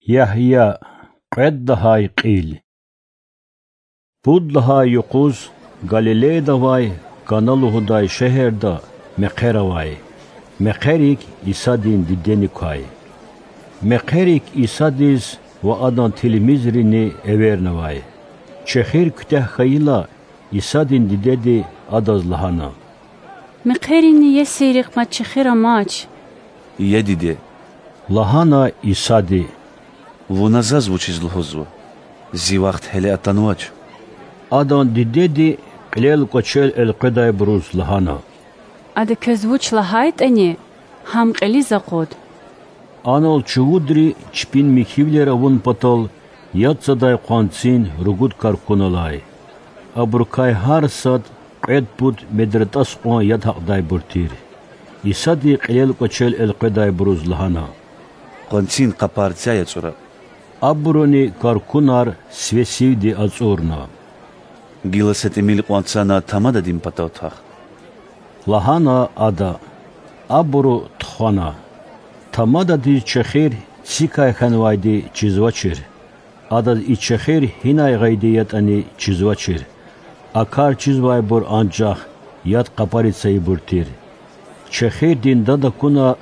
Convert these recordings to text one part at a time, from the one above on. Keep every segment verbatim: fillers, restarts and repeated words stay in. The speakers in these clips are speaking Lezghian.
Ягья, кьвед лагьай кьил. Пуд лагьай юкъуз Галилеяда авай Кана лугьудай шегьерда мехъер авай. Мехъерик Исадин дидени квай. Мехъерик Исадиз ва Адан тилмизрини эвернавай. Чехир куьтягь хьайила, Исадин дидеди Адаз лагьана: Мехъерини иесирихъ мад чехир амач. Я диде,— лагьана Исади,— Вуна заз вучиз лугьузва? Зи вахт гьеле атанвач. Адан дидеди кьилел-кӀвачел элкъведайбуруз лагьана: Ада квез вуч лагьайтӀани, гьам кьилиз акъуд. Анал чувудри чпин михьивилер авун патал яд цадай къванцин ругуд каркун алай. Абурукай гьар сад кьвед пуд медратӀас кьван яд гьакьдайбур тир. Исади кьилел-кӀвачел элкъведайбуруз лагьана: Къванцин къапар цяй ацӀура. Абуруни каркунар сиве сивди ацӀурна. Гила са тӀимил къванцана тамададин патав твах,— лагьана Ада. Абуру тухвана. Тамададиз чехир цикай хьанвайди чизвачир. Адаз и чехир гьинай гъайиди ятӀани чизвачир. А кар чизвайбур анжах яд къапари цайибур тир. Чехирдин дад акуна,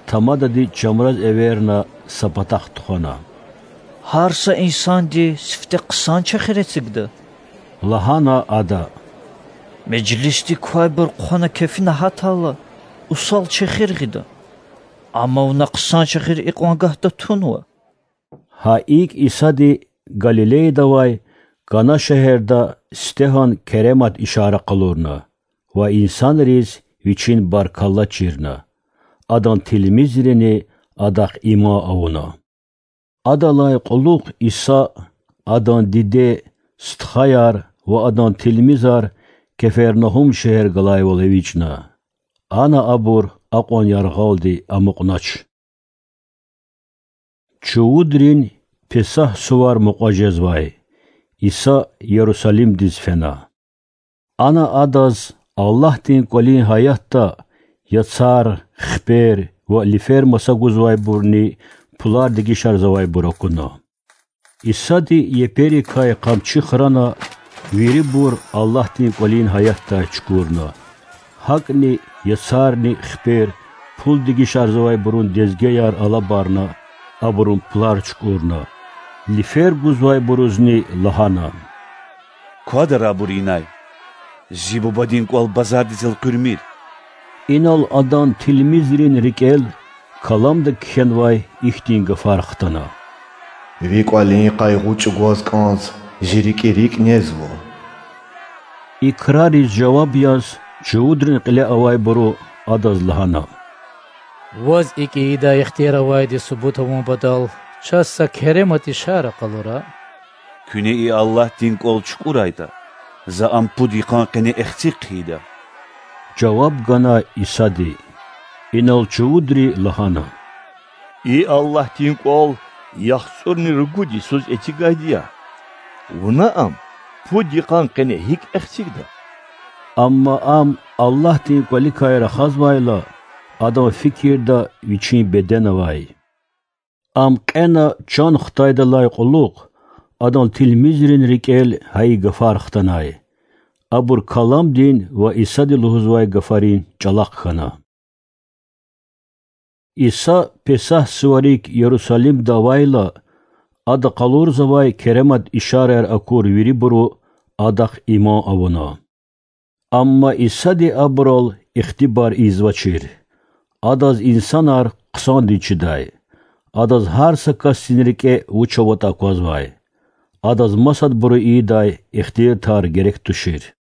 тамадади чамраз эверна, са патахъ тухвана. Гьар са инсанди сифте хъсан чехир эцигда,— лагьана ада. Межлисдик квайбур хъвана кефина гьатайла, усал чехир гъида. Амма вуна хъсан чехир икьван гагьда тунва. Гьа икӀ Исади Галилеяда авай Кана шегьерда сифтегьан керемат ишара къалурна ва инсанриз Вичин баркалла чирна. Адан тилмизрини Адахъ иман авуна. Адалай кьулухъ Иса, Адан диде, стхаяр ва Адан тилмизар Кефернагьум шегьер галайвал эвичӀна. Ана абур акьван яргъалди амукьнач. Чувудрин Песагь сувар мукьва жезвай. Иса Ярусалимдиз фена. Ана Адаз Аллагьдин КӀвалин гьаятда яцар, хипер ва лифер маса гузвайбурни пулар дегишарзавайбур акуна. Исади еперикай къамчи храна, вирибур Аллагьдин КӀвалин гьаятдай чукурна. ГьакӀни яцарни хипер пул дегишарзавайбурун дезгеяр алабарна, абурун пулар чукӀурна. Лифер гузвайбурузни лагьана: Квадара абур инай. Зи Бубадин кӀвал базардиз элкъуьрмир. Инал Адан тилмизрин рикӀел Каламда кхьенвай ихьтин гафар хтана: Ви кӀвалин къайгъу чӀугваз кӀанз Зи рикӀи рикӀ незва. И крариз жаваб яз чувудрин кьиле авайбуру Адаз лагьана: Ваз икӀ ийидай ихтияр авайди субут авун патал чаз са керемат ишара къалура. Куьне и Аллагьдин кӀвал чукӀурайтӀа, за ам пуд йикъан къене эхцихъ хъийида. Жаваб гана Исади. Инал чувудри лагьана: И Аллагьдин кӀвал яхцӀурни ругуд йисуз эцигайди я. Вуна ам пуд йикъан къене гьикӀ эхцигда? Амма ам Аллагьдин кӀваликай рахазвайла, Адан фикирда Вичин беден авай. Ам кьена чан хтайдалай кьулухъ Адан тилмизрин рикӀел гьа и гафар хтанай. Абур Каламдин ва Исади лугьузвай гафарин чӀалахъ хьана. Иса Песагь суварик Ярусалимда авайла, Ада къалурзавай керемат ишараяр акур вирибуру Адахъ иман авуна. Амма Исади абурал ихтибар ийизвачир. Адаз инсанар хъсандиз чидай. Адаз гьар са касдин рикӀе вуч аватӀа аквазвай. Адаз масадбуру ийидай ихтилатар герек тушир.